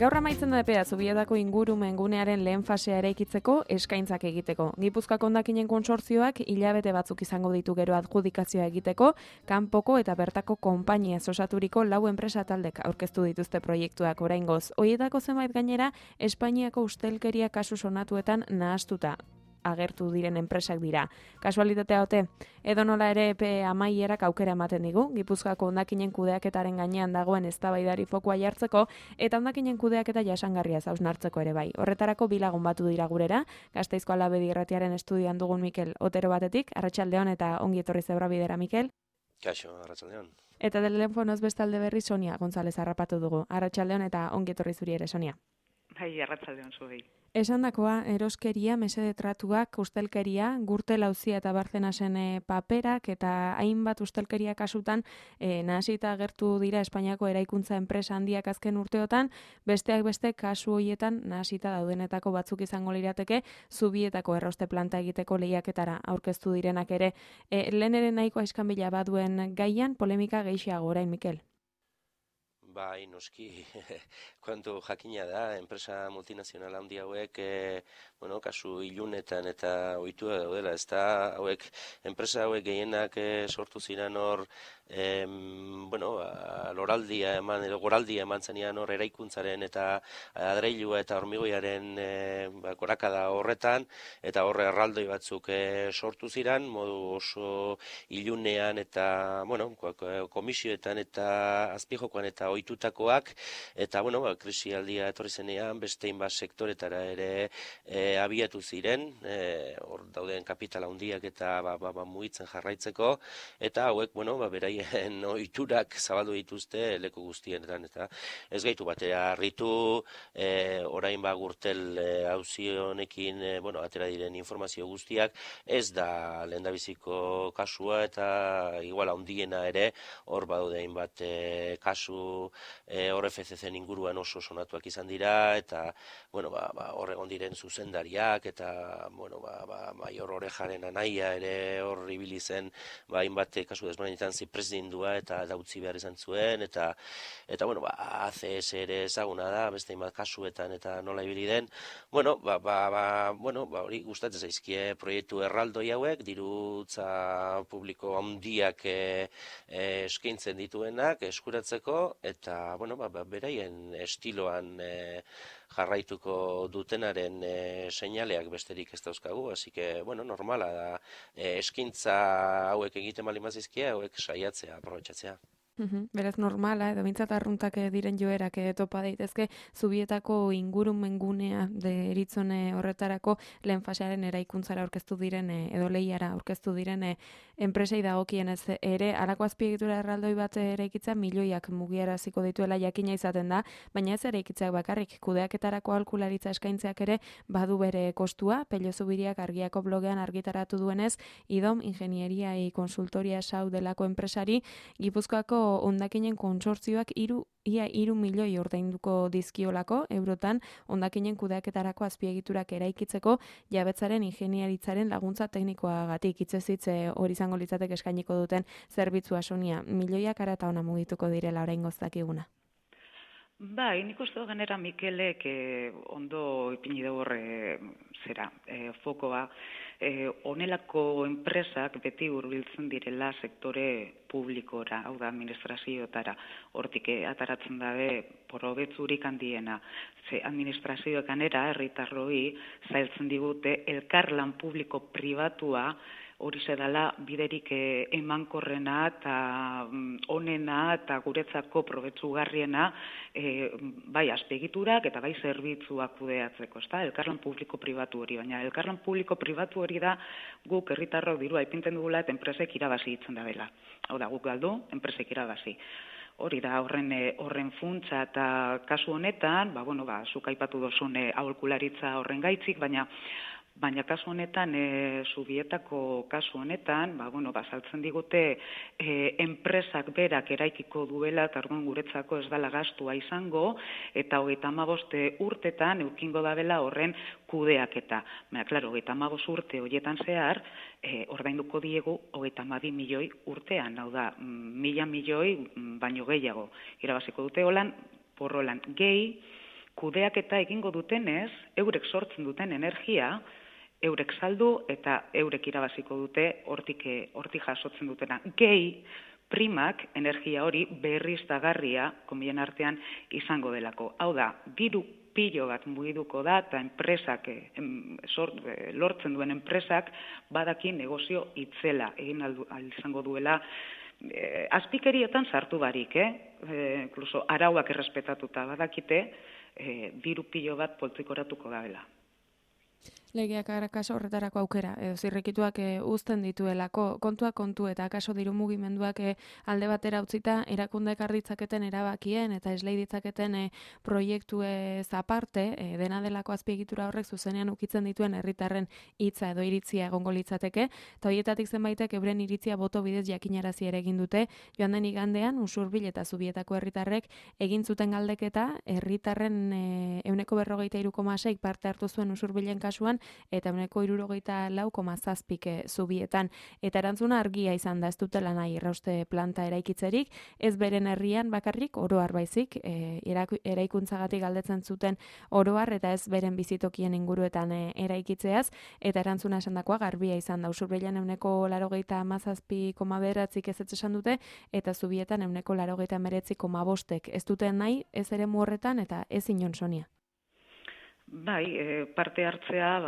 Gaur amaitzen da epea Zubietako ingurumen gunearen lehen fasea eraikitzeko eskaintzak egiteko. Gipuzkoako hondakinen kontsortzioak hilabete batzuk izango ditu gero adjudikazioa egiteko, kanpoko eta bertako konpainiaz osaturiko 4 enpresa taldek aurkeztu dituzte proiektuak oraingoz. Horietako zenbait gainera Espainiako ustelkeria kasu sonatuetan nahastuta agertu diren enpresak dira. Kasualitatea ote, edonola ere epe amaierak aukera ematen digu, Gipuzkoako hondakinen kudeaketaren gainean dagoen eztabaidari fokua jartzeko eta hondakinen kudeaketa jasangarria hausnartzeko ere bai. Horretarako bi lagun batu dira gurera, Gasteizko Alabedi Irratiaren estudioan dugun Mikel Otero batetik, arratsaldeon eta ongi etorri Zebrabidera, Mikel. Kaixo, arratsaldeon. Eta telefonoz bestalde berri Sonia González harrapatu dugu. Arratsaldeon eta ongi etorri zuri ere, Sonia. Bai, arratsaldeon zuei. Esandakoa, eroskeria, mesede tratuak, ustelkeria, Gürtel auzia eta Barcenasen paperak eta hainbat ustelkeria kasutan nahasita agertu dira Espainiako eraikuntza enpresa handiak azken urteotan, besteak beste kasu horietan nahasita daudenetako batzuk izango lirateke Zubietako erroste planta egiteko lehiaketara aurkeztu direnak ere. Lehen ere nahiko aiskanbila baduen gaian, polemika gehiago orain, Mikel. Bai, noski, kontu jakina da, enpresa multinazional handi hauek, kasu ilunetan eta ohitua daudela, ez da, enpresa hauek gehienak sortu ziren hor, loraldia eman, edo goraldia eman zenean hor eraikuntzaren eta adreilua eta hormigoiaren gorakada horretan, eta horre erraldoi batzuk sortu ziren, modu oso ilunean eta, komisioetan eta azpijokoan eta ohitutakoak, eta, krisialdia etorri zenean, beste hainbat sektoretara ere abiatu ziren, hor dauden kapitala handiak eta mugitzen jarraitzeko, eta hauek, beraien ohiturak zabaldu dituzte leku guztienetan, eta ez gaitu batera harritu, orain Gürtel auzi honekin, atera diren informazio guztiak, ez da lehendabiziko kasua, eta igual handiena ere, hor badaude hainbat kasu hor FCC inguruan oso sonatuak izan dira, eta hor egon diren zuzendariak, eta Maior Orejaren anaia ere hor ibili zen, hainbat kasu desberdinetan zipresdindua eta utzi behar izan zuen, eta ACS ere ezaguna da, beste hainbat kasuetan eta nola ibili den, hori gustatzen zaizkie proiektu erraldoi hauek, dirutza publiko handiak eskaintzen dituenak eskuratzeko, eta beraien estiloan jarraituko dutenaren seinaleak besterik ez dauzkagu, hasi que, normala da, eskaintza hauek egiten bali mazizkia, hauek saiatzea, aprobetxatzea. Beraz normala, edo bintzat arruntak diren joerak topa daitezke, Zubietako ingurumen gunea deritzone horretarako lehen fasearen eraikuntzara aurkeztu diren, edo lehiara aurkeztu diren enpresei dagokienez ere, halako azpiegitura erraldoi bat eraikitza milioiak mugiaraziko dituela jakina izaten da, baina ez eraikitzeak bakarrik, kudeaketarako aholkularitza eskaintzeak ere badu bere kostua, Pello Zubiriak Argiako blogean argitaratu duenez, IDOM Ingenieria y Consultoria Sau delako enpresari, Gipuzkoako hondakinen kontsortzioak ia 3 milioi ordainduko dizkiolako eurotan hondakinen kudeaketarako azpiegiturak eraikitzeko jabetzaren ingeniaritzaren laguntza teknikoagatik. Hitzez hitz hori izango litzateke eskainiko duten zerbitzua, Sonia. Milioiak ara eta ona mugituko direla oraingoz dakiguna. Bai, nik uste genera Mikelek ondo ipini dugu fokoa, honelako enpresak beti hurbiltzen direla sektore publikora, hau da administrazioetara, hortik ataratzen dabe probetzurik handiena. Ze administrazioek anera, herritarroi, zailtzen digute elkarlan publiko pribatua, hori zedala biderik emankorrena eta onena eta guretzako probetzugarriena bai azpiegiturak eta bai zerbitzuak kudeatzeko, ezta? Elkarlan publiko pribatu hori, baina elkarlan publiko pribatu hori da guk herritarrok dirua ipintzen dugula eta enpresek irabazi hitzen da dela. Hau da, guk galdu, enpresek irabazi. Hori da horren funtsa eta kasu honetan, zuk aipatu dozun aholkularitza horren gaitzik, baina kasu honetan, Zubietako kasu honetan, saltzen digute enpresak berak eraikiko duela, eta orduan guretzako ez dela gastua izango, eta 35 urtetan eukingo dabela horren kudeaketa. Baina, klaro, 35 urte horietan zehar, ordainduko diegu 32 milioi urtean, hau da, 1.000 milioi baino gehiago. Irabaziko dute holan, porrolan gehi, kudeaketa egingo dutenez, eurek sortzen duten energia, eurek saldu eta eurek irabaziko dute hortik jasotzen dutena. Gehi, primak energia hori berriztagarria komien artean izango delako. Hau da, diru pilo bat mugiduko da eta enpresak, lortzen duen enpresak badaki negozio itzela egin izango duela azpikerietan sartu barik, inkluso arauak errespetatuta badakite diru pilo bat poltsikoratuko dela. Legeak akaso horretarako aukera, edo zirrikituak uzten dituelako, kontua kontu eta akaso diru mugimenduak alde batera utzita erakundek arditzaketen erabakien eta eslei ditzaketen proiektuez aparte, dena delako azpiegitura horrek zuzenean ukitzen dituen herritarren hitza edo iritzia egongo litzateke, eta horietatik zenbaitek euren iritzia boto bidez jakinarazi ere egin dute, joan den igandean Usurbil eta Zubietako herritarrek egin zuten galdeketa, herritarren 43,6 parte hartu zuen Usurbilen kasuan, eta 74,7 Zubietan. Eta erantzuna argia izan da, ez dutela nahi errauste planta eraikitzerik, ez beren herrian bakarrik oroar baizik, eraikuntzagatik galdetzen zuten oroar eta ez beren bizitokien inguruetan eraikitzeaz, eta erantzuna esandakoa garbia izan da. Usurbilen 87,9 ez esan dute, eta Zubietan 89,5 ez duten nahi, ez ere horretan eta ez inon Sonia. Bai, parte hartzea,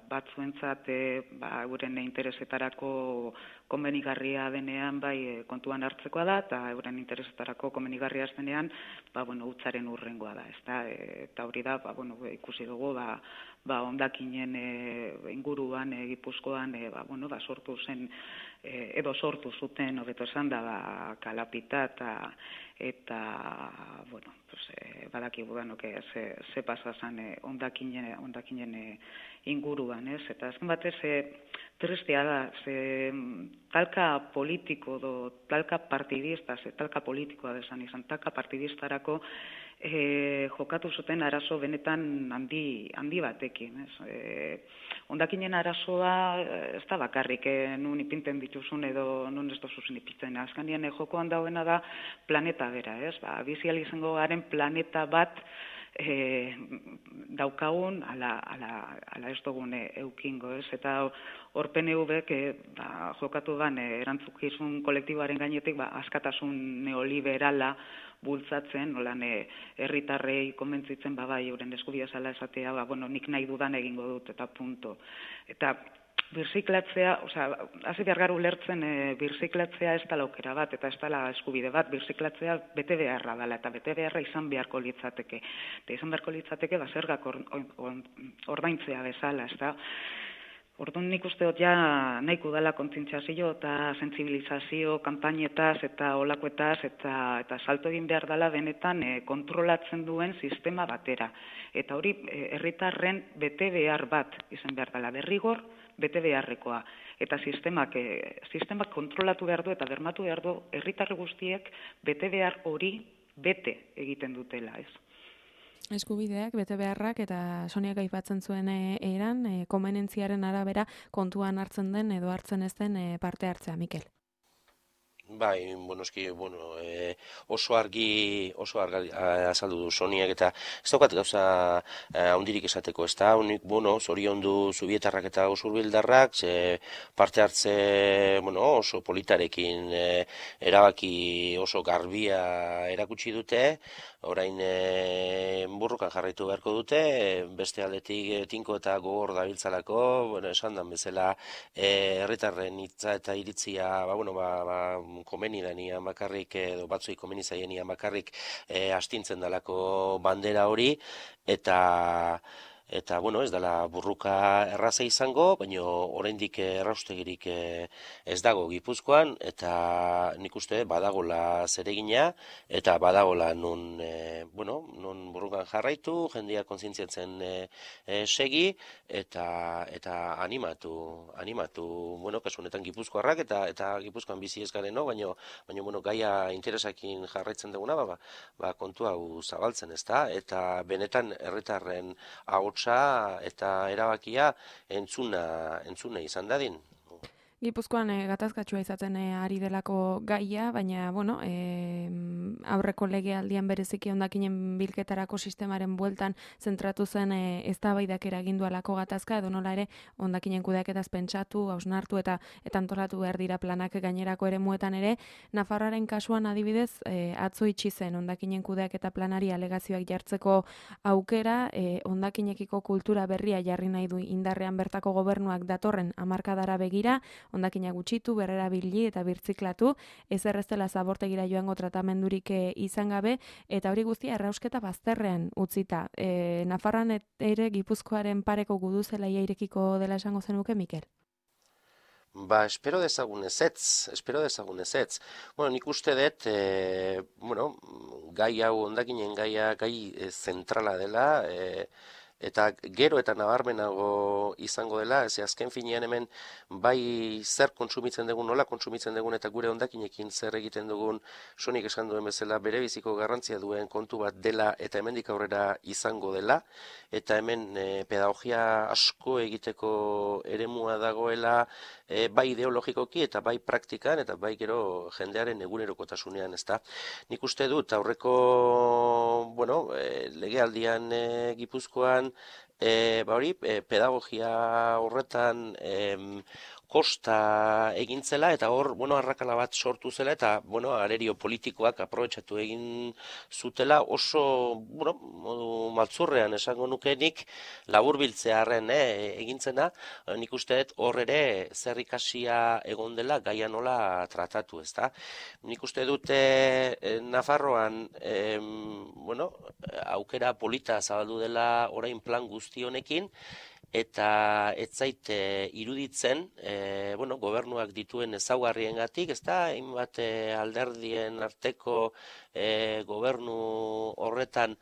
batzuentzat euren interesetarako komenigarria denean kontuan hartzekoa da, eta euren interesetarako komenigarria denean, hutsaren urrengoa da, ezta? Eta hori da, ikusi dugu, hondakinen inguruan, Gipuzkoan, sortu zen, edo sortu zuten, hobeto esan da, kalapita eta badakigu ze pasa zen hondakinen inguruan, ez? Eta azken batez, tristea da, talka politiko talka partidista, talka politikoa desan izan, talka partidistarako jokatu zuten arazo benetan handi batekin. Hondakinen arazoa ez da bakarrik nun ipinten dituzun edo nun ez dozuzun ipintzen. Azkanien jokoan dauena da planeta bera, ez? Bizial izango garen planeta bat daukagun ala ez dugun eukingo, ez? Eta hor PNV-ek jokatu gan erantzukizun kolektiboaren gainetik askatasun neoliberala bultzatzen, nolan herritarrei konbentzitzen euren eskubidea zela esatea, nik nahi dudan egingo dut eta punto. Eta birziklatzea, hasi behar gara ulertzen birziklatzea ez dela aukera bat eta ez dela eskubide bat, birziklatzea bete beharra dela eta bete beharra izan beharko litzateke. Eta izan beharko litzateke zergak ordaintzea bezala, ez da? Orduan nik uste dut nahiko dela kontzientziazio eta sentsibilizazio kanpainetaz eta olakoetaz eta salto egin behar dela benetan kontrolatzen duen sistema batera. Eta hori herritarren bete behar bat izan behar dela, derrigor bete beharrekoa. Eta sistemak kontrolatu behar du eta bermatu behar du herritar guztiek bete behar hori bete egiten dutela, ez? Eskubideak, bete beharrak eta Soniak aipatzen zuen eran, konbenentziaren arabera kontuan hartzen den edo hartzen ez den parte hartzea, Mikel. Bai, oso argi azaldu du Soniak eta ez daukat gauza handirik esateko, ez da, zoriondu Zubietarrak eta Usurbildarrak, parte hartze oso politarekin erabaki oso garbia erakutsi dute, orain burrukan jarraitu beharko dute, beste aldetik tinko eta gogor dabiltzalako, esan dan bezala herritarren hitza eta iritzia, komeni danian bakarrik, edo batzuik komeni zaienian bakarrik astintzen dalako bandera hori, eta ez dela burruka erraza izango, baina oraindik erraustegirik ez dago Gipuzkoan, eta nik uste badagola zeregina, eta badagola nun burrukan jarraitu, jendeak kontzientziatzen segi, eta animatu, kasu honetan Gipuzkoarrak, eta Gipuzkoan bizi ez gareno, baina gaia interesakin jarraitzen duguna, kontu hau zabaltzen, ez da, eta benetan herritarren ahotsa eta erabakia entzuna izan dadin. Gipuzkoan gatazkatsua izaten ari delako gaia, baina, bueno, aurreko legealdian bereziki hondakinen bilketarako sistemaren bueltan zentratu zen eztabaidak eragindu alako gatazka, edo nola ere hondakinen kudeaketaz pentsatu, hausnartu eta antolatu behar dira planak gainerako eremuetan ere. Nafarroaren kasuan adibidez, atzo itxi zen hondakinen kudeaketa planari alegazioak jartzeko aukera, hondakinekiko kultura berria jarri nahi du indarrean bertako gobernuak datorren hamarkadara begira, hondakinak gutxitu, berrerabili eta birtziklatu, ezer ez dela zabortegira joango tratamendurik izan gabe, eta hori guztia errausketa bazterrean utzita. Nafarroan ere Gipuzkoaren pareko guduzelaia irekiko dela esango zenuke, Mikel? Ba, espero dezagun ezetz. Bueno, nik uste dut, gai hau, hondakinen gaia, gai zentrala dela, eta gero eta nabarmenago izango dela, azken finean hemen bai zer kontsumitzen dugun, nola kontsumitzen dugun, eta gure hondakinekin zer egiten dugun, Sonik esan duen bezala, berebiziko garrantzia duen kontu bat dela, eta hemendik aurrera izango dela, eta hemen pedagogia asko egiteko eremua dagoela, bai ideologikoki eta bai praktikan, eta bai gero jendearen egunerokotasunean, ezta. Nik uste dut, aurreko, legealdian Gipuzkoan, pedagogia horretan kosta egintzela, eta hor, arrakala bat sortu zela, eta, arerio politikoak aprobetxatu egin zutela, oso, modu maltzurrean esango nukenik, laburbiltzearen egintzena, nik uste dut hor ere zer ikasia egon dela gaia nola tratatu, ezta. Nik uste dute Nafarroan, aukera polita zabaldu dela orain plan guzti honekin, eta ez zait iruditzen, gobernuak dituen ezaugarriengatik, ez da, hainbat alderdien arteko gobernu horretan,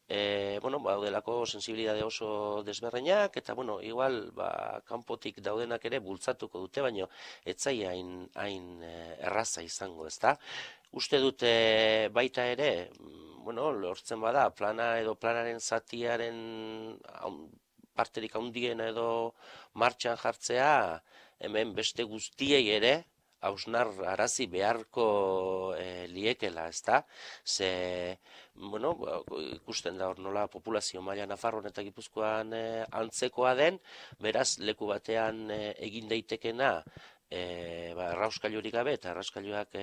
daudelako sensibilidade oso desberreinak, eta, igual, kanpotik daudenak ere bultzatuko dute, baina ez zai hain erraza izango, ez da. Uste dute baita ere, lortzen bada, plana edo planaren zatiaren parterik handiena edo martxan jartzea, hemen beste guztiei ere, hausnar arazi beharko liekela, ezta? Ze, ikusten da hor nola populazio maila Nafarroan eta Gipuzkoan antzekoa den, beraz leku batean egin daitekena, errauskailurik gabe eta errauskailuak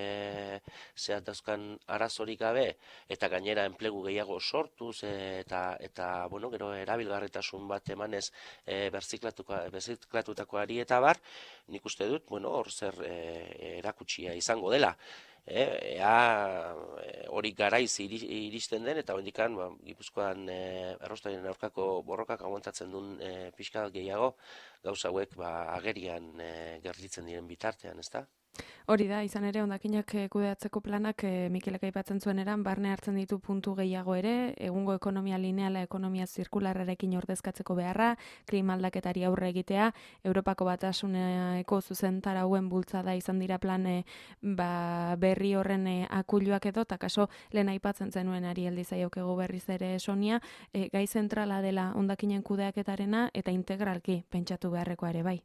zehat dauzkan arazorik gabe eta gainera enplegu gehiago sortuz eta gero erabilgarritasun bat emanez berziklatutakoari eta bar, nik uste dut, hor zer erakutsia izango dela. Hori garaiz iristen den, eta hondikan Gipuzkoan erraustainen aurkako borrokak aguantatzen duen pixka gehiago, gauza hauek agerian gerlitzen diren bitartean, ezta? Hori da, izan ere, hondakinak kudeatzeko planak Mikelek aipatzen zuen eran, barne hartzen ditu puntu gehiago ere, egungo ekonomia lineala, ekonomia zirkularrarekin ordezkatzeko beharra, klima aldaketari aurre egitea, Europako Batasuneko zuzentarauen bultzada izan dira plan berri horren akuluak edo, eta kaso lehen aipatzen zenuen ari aldizaioke berriz ere Sonia, gai zentrala dela hondakinen kudeaketarena eta integralki pentsatu beharrekoa ere bai.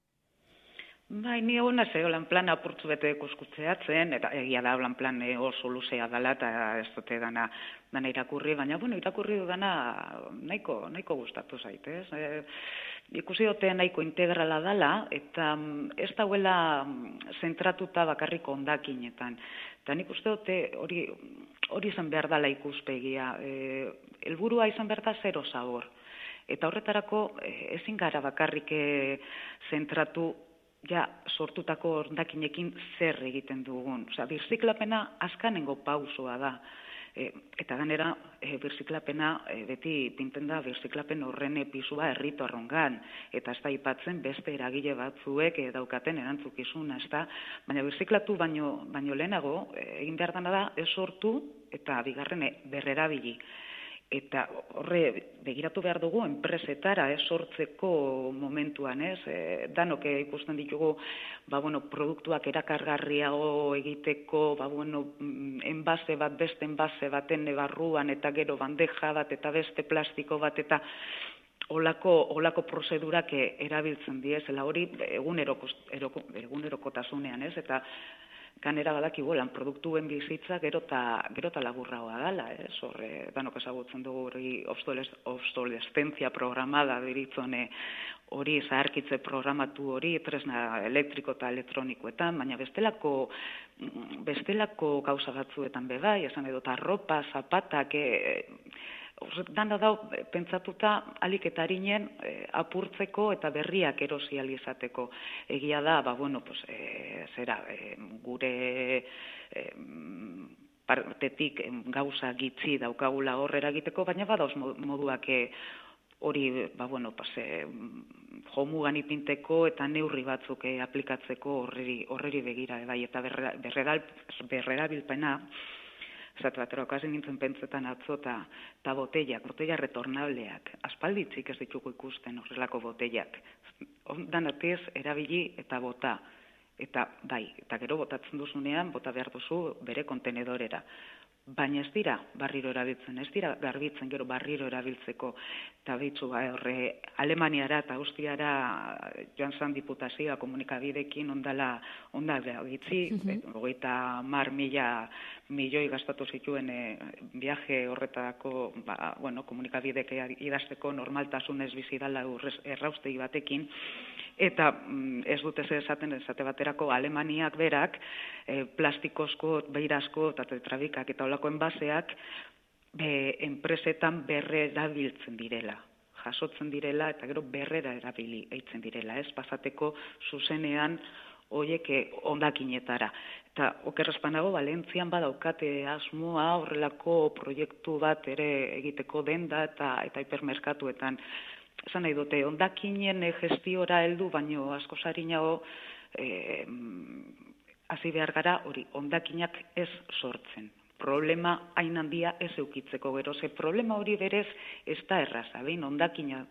Bai, ni hona zegoelan plan apurtzu bete ikuskutzeatzen, eta egia da plan oso luzea dela, eta ez dute dana irakurri, baina, irakurri dudana nahiko gustatu zaitez. Ikusi dute nahiko integrala dela, eta ez dauela zentratuta bakarriko hondakinetan. Eta nik uste dute hori izan behar dela ikuspegia. Helburua izan behar da zero zabor. Eta horretarako ezin gara bakarrik zentratu ja sortutako hondakinekin zer egiten dugun. Osea, birziklapena azkanengo pausoa da. Eta ganera, birziklapena beti pinten da birziklapen horren pisua herritarrongan. Eta ez da aipatzen beste eragile batzuek daukaten erantzukizuna, ez da. Baina birziklatu baino lehenago, egin behar dena da, ez sortu eta bigarren berrerabili. Eta horre begiratu behar dugu enpresetara sortzeko momentuan, danok ikusten ditugu produktuak erakargarriago egiteko, enbase bat beste enbase baten barruan eta gero bandeja bat eta beste plastiko bat eta olako prozedurak erabiltzen diezela hori egunerokotasunean, ez? Eta kanera badakigu lan produktuen bizitza gero eta laburragoa dela, ez? Horre, danok ezagutzen dugu hori obsolescentzia programada deritzone hori zaharkitze programatu hori tresna elektriko eta elektronikoetan, baina bestelako gauza batzuetan bebai, esan edo arropa, zapatak, dana da pentsatuta alik eta harinen apurtzeko eta berriak erosi ahal izateko. Egia da, gure partetik gauza gitzi daukagula horrera egiteko, baina badauz moduak hori, jomugan ipinteko eta neurri batzuk aplikatzeko horreri begira, bai, eta berrerabilpena, zatu batera okazin nintzen pentsetan atzo eta botella retornableak, aspalditzik ez ditugu ikusten horrelako botellak. Danatiz erabili eta bota. Eta bai, eta gero botatzen duzunean, bota behar duzu bere kontenedorera. Baina ez dira barriro erabiltzen, ez dira garbitzen gero barriro erabiltzeko. Eta behitzu, horre, Alemaniara eta Austriara joan zan diputazioa komunikabidekin ondala gitzi, 30.000 milioi gastatu zituen viaje horretako, komunikabidek idazteko normaltasunez bizidala erraustegi batekin, eta ez dute esaten esate baterako Alemaniak berak plastikozko, beirazko eta tetrabikak eta olako enbaseak enpresetan berrerabiltzen direla, jasotzen direla eta gero berrera erabili eitzen direla, ez pasateko zuzenean horiek ondakinetara. Eta okerrezpanago, Valentzian badaukate asmoa horrelako proiektu bat ere egiteko denda eta hipermerkatuetan. Esan nahi dute, ondakinen gestiora heldu, baino asko sarinago hasi behar gara hori, ondakinak ez sortzen. Problema hain handia ez eukitzeko gero. Ze problema hori berez ez da erraza. Behin ondakina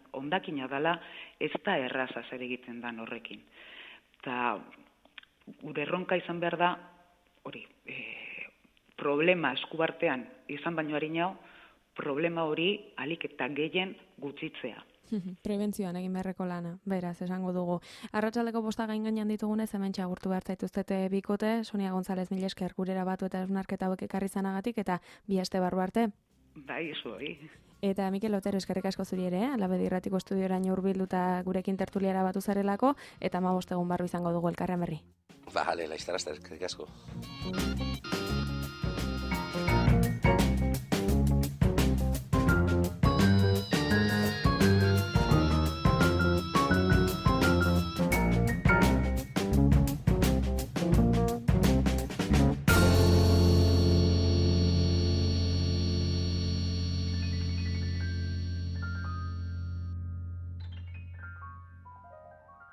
dela ez da erraza zer egiten dan horrekin. Eta gure erronka izan behar da hori, problema eskubartean izan baino harinao, problema hori alik eta gehien gutxitzea. Prebentzioan egin beharreko lana, beraz, esango dugu. Arratsaldeko 5 gainean ditugunez, hemen txagurtu behar zaituztete bikote, Sonia González mila esker gurera batu eta esnarketa hauek ekarri zanagatik, eta 2 aste barru arte. Bai, zuei. Eta Mikel Otero, eskerrik asko zuri ere, Alabedi Irratiko estudioraino hurbilduta gurekin tertuliara batu zarelako, eta 15 egun barru izango dugu elkarren berri. Bale, laiztarazta, eskerrik asko.